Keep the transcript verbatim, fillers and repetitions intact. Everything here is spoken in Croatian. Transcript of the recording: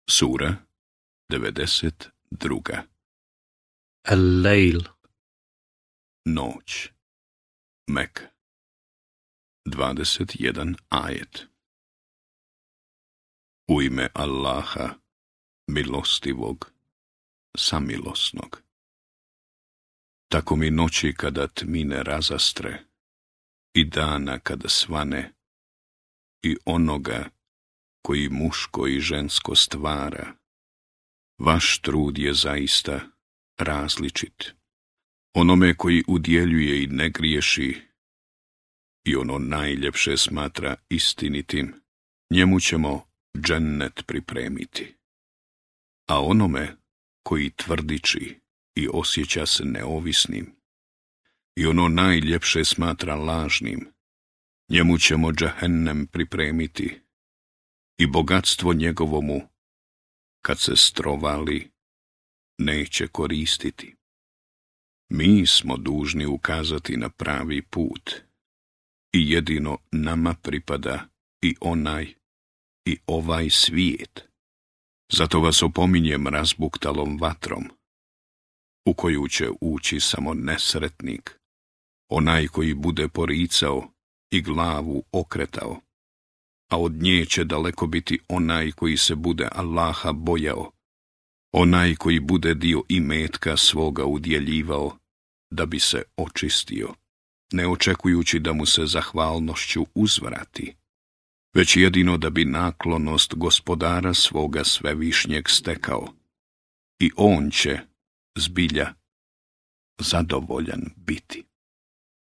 Sura devedeset druga. Al-Lejl. Noć. Mek. Dvadeset jedan ajet. U ime Allaha, milostivog, samilosnog. Tako mi noći kada tmine razastre, i dana kada svane, i onoga koji muško i žensko stvara. Vaš trud je zaista različit. Onome koji udjeljuje i ne griješi, i ono najljepše smatra istinitim, njemu ćemo džennet pripremiti. A onome koji tvrdiči i osjeća se neovisnim, i ono najljepše smatra lažnim, njemu ćemo džahennem pripremiti, i bogatstvo njegovomu, kad se strovali, neće koristiti. Mi smo dužni ukazati na pravi put, i jedino nama pripada i onaj i ovaj svijet. Zato vas opominjem razbuktalom vatrom, u koju će ući samo nesretnik, onaj koji bude poricao i glavu okretao, a od nje će daleko biti onaj koji se bude Allaha bojao, onaj koji bude dio imetka svoga udjeljivao da bi se očistio, ne očekujući da mu se zahvalnošću uzvrati, već jedino da bi naklonost gospodara svoga svevišnjeg stekao, i on će, zbilja, zadovoljan biti.